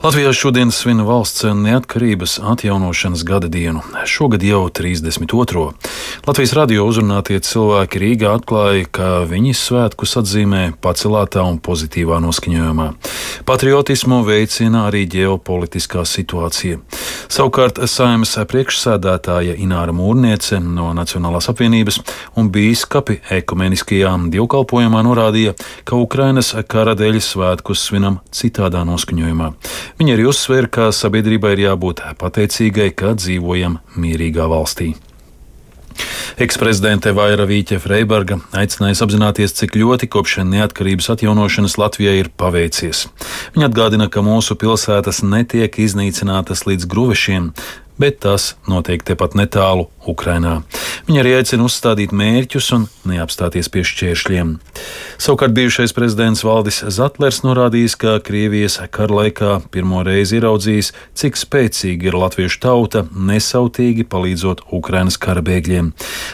Latvijā šodien svin valsts neatkarības atjaunošanas gada dienu, šogad jau 32. Latvijas radio uzrunātie cilvēki Rīgā atklāja, ka viņi svētkus atzīmē pacelātā un pozitīvā noskaņojumā. Patriotismu veicina arī ģeopolitiskā situācija. Savukārt Saeimas priekšsēdētāja Ināra Mūrniece no Nacionālās apvienības un bīskapi ekumeniskajā dievkalpojumā norādīja, ka Ukrainas kara dēļ svētkus svinam citādā noskaņojumā. Viņa arī uzsvēra, ka sabiedrībai ir jābūt pateicīgai, ka dzīvojam mierīgā valstī. Eksprezidente Vaira Vīķe-Freiberga aicinājusi apzināties, cik ļoti kopš neatkarības atjaunošanas Latvijai ir paveicies. Viņa atgādina, ka mūsu pilsētas netiek iznīcinātas līdz gruvešiem, bet tas notiek tepat netālu Ukrainā. Viņa arī aicina uzstādīt mērķus un neapstāties pie šķēršļiem. Savukārt bijušais prezidents Valdis Zatlers norādījis, ka Krievijas kara laikā pirmo reizi ieraudzījis, cik spēcīga ir latviešu tauta, nesautīgi palīdzot Ukrainas kara bēgļiem.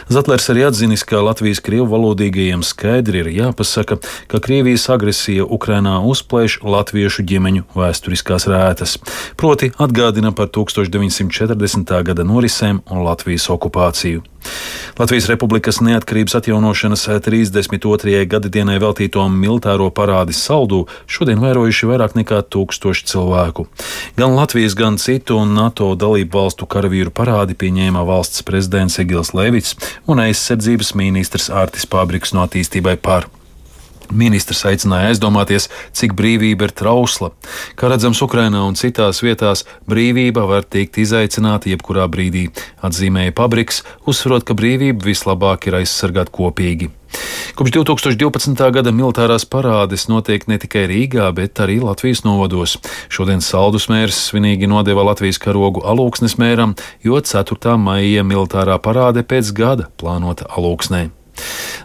Zatlers arī atzinis, ka Latvijas krievu valodīgajiem skaidri ir jāpasaka, ka Krievijas agresija Ukrainā uzplēš latviešu ģimeņu vēsturiskās rētas, proti atgādina par 1940. gada norisēm un Latvijas okupāciju. Latvijas Republikas neatkarības atjaunošanas 32. gadadienai veltīto militāro parādi Saldū šodien vērojuši vairāk nekā 1000 cilvēku. Gan Latvijas, gan citu un NATO dalību valstu karavīru parādi pieņēma valsts prezidents Egils Levits un aizsardzības ministrs Ārtis Pabriks no Attīstībai par. Ministrs aicināja aizdomāties, cik brīvība ir trausla. Kā redzams, Ukrainā un citās vietās brīvība var tikt izaicināta jebkurā brīdī, atzīmēja Pabriks, uzsverot, ka brīvību vislabāk ir aizsargāt kopīgi. Kopš 2012. gada militārās parādes notiek ne tikai Rīgā, bet arī Latvijas novados. Šodien Saldus mērs svinīgi nodeva Latvijas karogu Alūksnes mēram, jo 4. maija militārā parāde pēc gada plānota Alūksnē.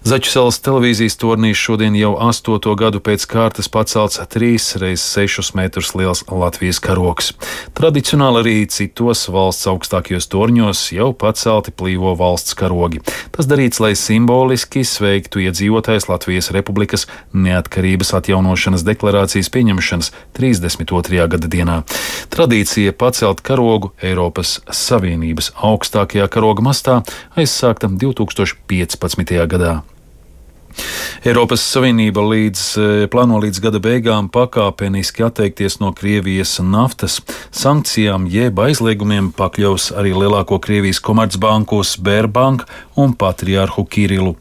Začuselas televīzijas tornīs šodien jau 8. gadu pēc kārtas pacelts 3x6 metrus liels Latvijas karogs. Tradicionāli arī citos valsts augstākajos torņos jau pacelti plīvo valsts karogi. Tas darīts, lai simboliski sveiktu iedzīvotājus Latvijas Republikas neatkarības atjaunošanas deklarācijas pieņemšanas 32. gada dienā. Tradīcija pacelt karogu Eiropas Savienības augstākajā karoga mastā aizsākta 2015. gadā. Eiropas Savienība plāno līdz gada beigām pakāpeniski atteikties no Krievijas naftas. Sankcijām jeb aizliegumiem pakļaus arī lielāko Krievijas komercbanku Sberbank un patriārhu Kirilu.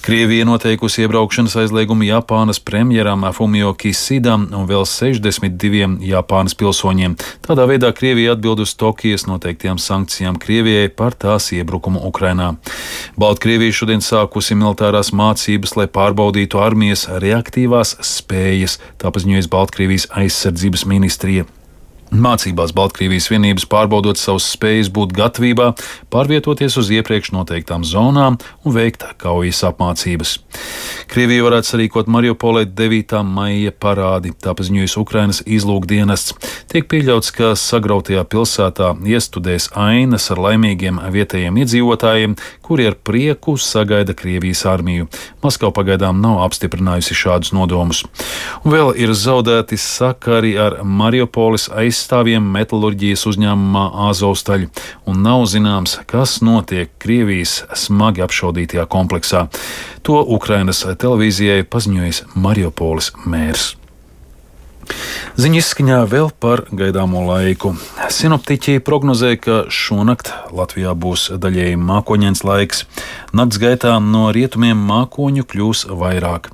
Krievija noteikusi iebraukšanas aizliegumu Japānas premjeram Fumio Kisidam un vēl 62 Japānas pilsoņiem. Tādā veidā Krievija atbild uz Tokijas noteiktajām sankcijām Krievijai par tās iebrukumu Ukrainā. Baltkrievija šodien sākusi militārās mācības, lai pārbaudītu armijas reaktīvās spējas, tā paziņojas Baltkrievijas aizsardzības ministrija. Mācībās Baltkrievijas vienības pārbaudot savas spējas būt gatavībā, pārvietoties uz iepriekš noteiktām zonām un veikt kaujas apmācības. Krievija varētu sarīkot Mariupolē 9. maija parādi, tā paziņojas Ukrainas izlūkdienests. Tiek pieļauts, ka sagrautajā pilsētā iestudēs ainas ar laimīgiem vietējiem iedzīvotājiem, kuri ar prieku sagaida Krievijas armiju. Maskava pagaidām nav apstiprinājusi šādus nodomus. Un vēl ir zaudēti sakari ar Mariupoles aizstāvjiem metalurģijas uzņēmumā Azovstaļ, un nav zināms, kas notiek Krievijas smagi apšaudītajā kompleksā. To Ukrainas televīzijai paziņojis Mariupoles mērs. Ziņu izskaņā vēl par gaidāmo laiku. Sinoptiķi prognozē, ka šonakt Latvijā būs daļēji mākoņains laiks. Nakts gaitā no rietumiem mākoņu kļūs vairāk.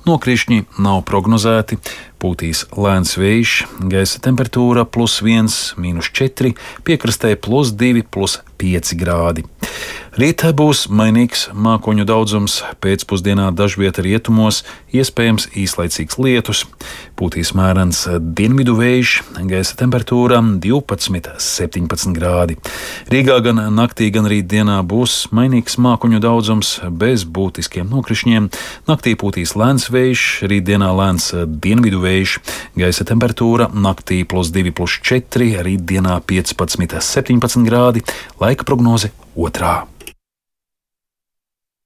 Nokrišņi nav prognozēti, pūtīs lēns vējš, gaisa temperatūra +1, -4, piekrastē +2, +5 grādi. Rītā būs mainīgs mākoņu daudzums, pēcpusdienā dažviet rietumos iespējams īslaicīgs lietus, pūtīs mērens dienvidu vējš, gaisa temperatūra 12, 17 grādi. Rīgā gan naktī, gan rītdienā būs mainīgs mākoņu daudzums bez būtiskiem nokrišņiem. Naktī pūtīs lēns vējš, rītdienā lēns dienvidu vējš, gaisa temperatūra naktī +2, +4, rītdienā 15, 17 grādi, laika prognoze 2.